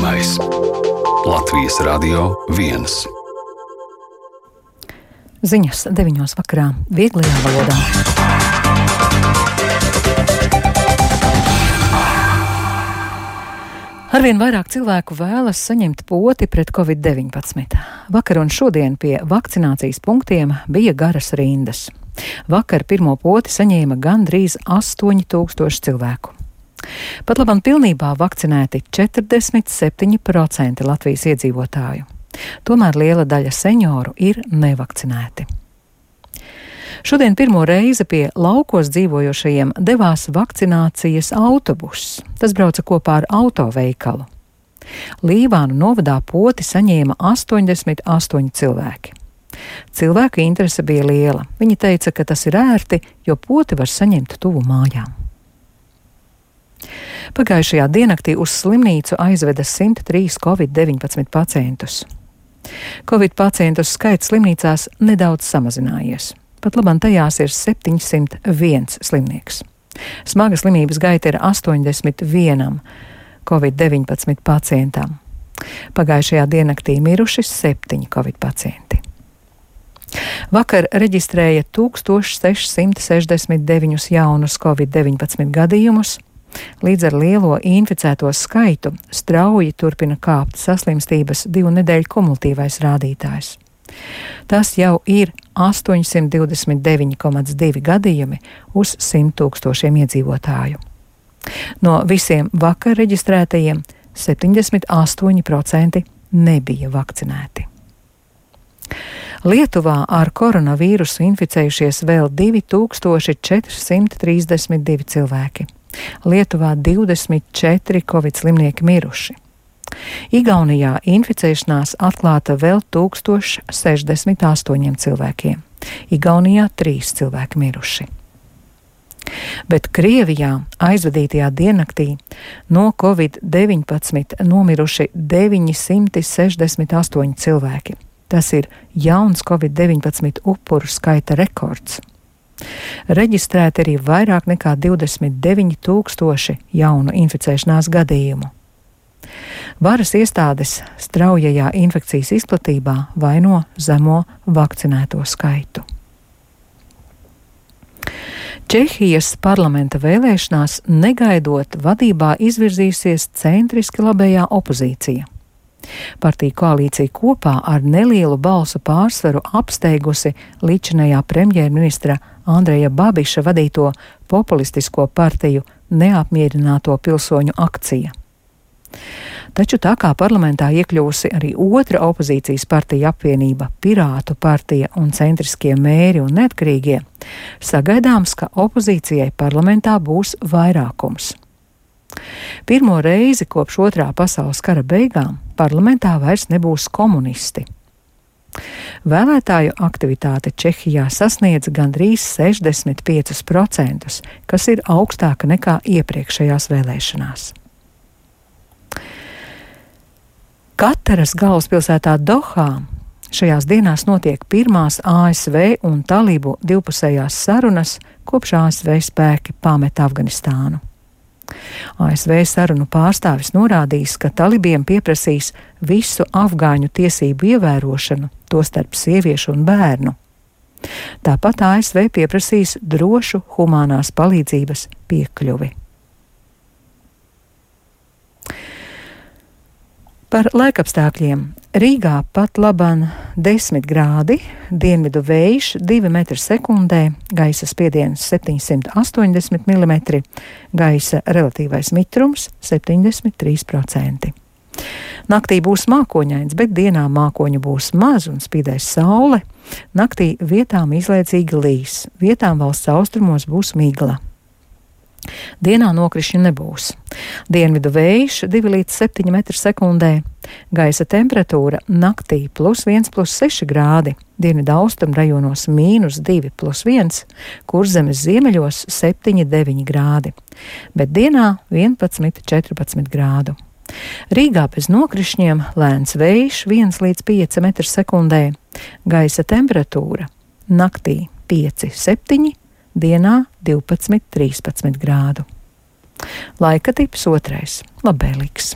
Zināmais Latvijas Radio 1. Ziņas 9:00 vakarā vieglajā valodā. Arvien vairāk cilvēku vēlas saņemt poti pret Covid-19. Vakar un šodien pie vakcinācijas punktiem bija garas rindas. Vakar pirmo poti saņēma gandrīz 8000 cilvēku. Pat labam pilnībā vakcinēti 47% Latvijas iedzīvotāju. Tomēr liela daļa senioru ir nevakcinēti. Šodien pirmo reizi pie laukos dzīvojošajiem devās vakcinācijas autobuss. Tas brauca kopā ar autoveikalu. Līvānu novadā poti saņēma 88 cilvēki. Cilvēku interese bija liela. Viņi teica, ka tas ir ērti, jo poti var saņemt tuvu mājām. Pagājušajā diennaktī uz slimnīcu aizveda 103 Covid-19 pacientus. Covid pacientu skaits slimnīcās nedaudz samazinājies. Pat labam tajās ir 701 slimnieks. Smaga slimības gaita ir 81 Covid-19 pacientam. Pagājušajā diennaktī miruši 7 Covid pacienti. Vakar reģistrēja 1669 jaunus Covid-19 gadījumus. Līdz ar lielo inficēto skaitu strauji turpina kāpt saslimstības 2 nedēļu kumulatīvais rādītājs. Tas jau ir 829,2 gadījumi uz 100 000 iedzīvotāju. No visiem vakar reģistrētajiem 78% nebija vakcinēti. Lietuvā ar koronavīrusu inficējušies vēl 2432 cilvēki. Lietuvā 24 covid slimnieki miruši. Igaunijā inficēšanās atklāta vēl 1068 cilvēkiem. Igaunijā 3 cilvēki miruši. Bet Krievijā aizvadītajā diennaktī no Covid-19 nomiruši 968 cilvēki. Tas ir jauns Covid-19 upuru skaita rekords. Reģistrēti arī vairāk nekā 29 000 jaunu inficēšanās gadījumu. Varas iestādes straujajā infekcijas izplatībā vaino zemo vakcinēto skaitu. Čehijas parlamenta vēlēšanās negaidot vadībā izvirzījusies centriski labējā opozīcija. Partiju koalīcija kopā ar nelielu balsu pārsvaru apsteigusi līdzinējā premjerministra Andreja Babiša vadīto populistisko partiju neapmierināto pilsoņu akcija. Taču tā kā parlamentā iekļūsi arī otra opozīcijas partija apvienība Pirātu partija un centriskie mēri un neatkarīgie, sagaidāms, ka opozīcijai parlamentā būs vairākums. Pirmo reizi kopš Otrā pasaules kara beigām parlamentā vairs nebūs komunisti. Vēlētāju aktivitāte Čehijā sasniedz gandrīz 65%, kas ir augstāka nekā iepriekšējās vēlēšanās. Kataras galvaspilsētā Dohā šajās dienās notiek pirmās ASV un Talibu divpusējās sarunas, kopš ASV spēki pameta Afganistānu. ASV sarunu pārstāvis norādījis, ka talibiem pieprasīs visu afgāņu tiesību ievērošanu, tostarp sieviešu un bērnu. Tāpat ASV pieprasīs drošu humānās palīdzības piekļuvi. Par laikapstākļiem. Rīgā pat laban 10 grādi, dienvidu vējš 2 metri sekundē, gaisa spiediens 780 mm, gaisa relatīvais mitrums 73%. Naktī būs mākoņains, bet dienā mākoņu būs maz un spīdēs saule. Naktī vietām izlaicīgi līs, vietām valsts austrumos būs migla. Dienā nokrišņu nebūs. Dienvidu vējš 2 līdz 7 metri sekundē. Gaisa temperatūra naktī +1 + 6 grādi. Dienvidu austrumu rajonos -2 + 1, Kurzemes ziemeļos 7-9 grādi. Bet dienā 11-14 grādu. Rīgā bez nokrišņiem lēns vējš 1 līdz 5 metri sekundē. Gaisa temperatūra naktī 5-7, dienā 12-13 grādu. Laika tips 2. Labvēlīgs.